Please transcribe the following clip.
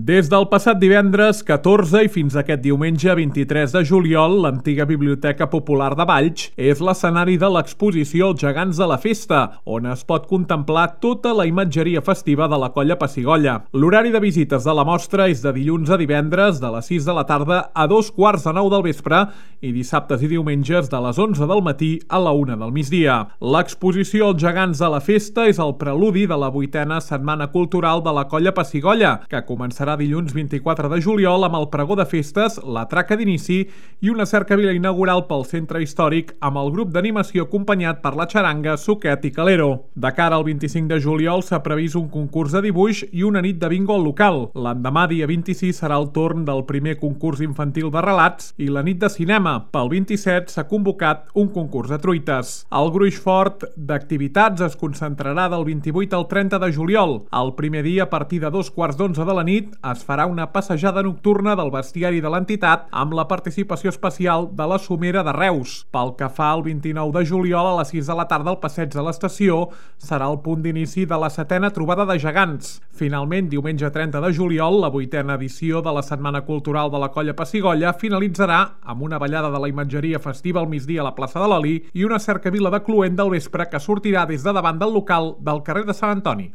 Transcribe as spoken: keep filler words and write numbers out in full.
Des del passat divendres catorze i fins aquest diumenge vint-i-tres de juliol, l'antiga Biblioteca Popular de Valls és l'escenari de l'exposició Els gegants de la festa, on es pot contemplar tota la imatgeria festiva de la Colla Pessigolles. L'horari de visites de la mostra és de dilluns a divendres de les sis de la tarda a dos quarts de nou del vespre i dissabtes i diumenges de les onze del matí a la una del migdia. L'exposició Els gegants de la festa és el preludi de la vuitena Setmana Cultural de la Colla Pessigolles, que començarà dilluns vint-i-quatre de juliol amb el pregó de festes, la traca d'inici i una cercavila inaugural pel centre històric amb el grup d'animació acompanyat per la xaranga, Suquet i Calero. De cara al vint-i-cinc de juliol s'ha previst un concurs de dibuix i una nit de bingo al local. L'endemà, dia vint-i-sis, serà el torn del primer concurs infantil de relats i la nit de cinema. Pel vint-i-set s'ha convocat un concurs de truites. El gruix fort d'activitats es concentrarà del vint-i-vuit al trenta de juliol. El primer dia, a partir de dos quarts d'onze de la nit, es farà una passejada nocturna del bestiari de l'entitat amb la participació especial de la Somera de Reus. Pel que fa al vint-i-nou de juliol, a les sis de la tarda, el passeig de l'estació serà el punt d'inici de la setena trobada de gegants. Finalment, diumenge trenta de juliol, la vuitena edició de la Setmana Cultural de la Colla Pessigolles finalitzarà amb una ballada de la imatgeria festiva al migdia a la plaça de l'Oli i una cercavila de Cluent del vespre que sortirà des de davant del local del carrer de Sant Antoni.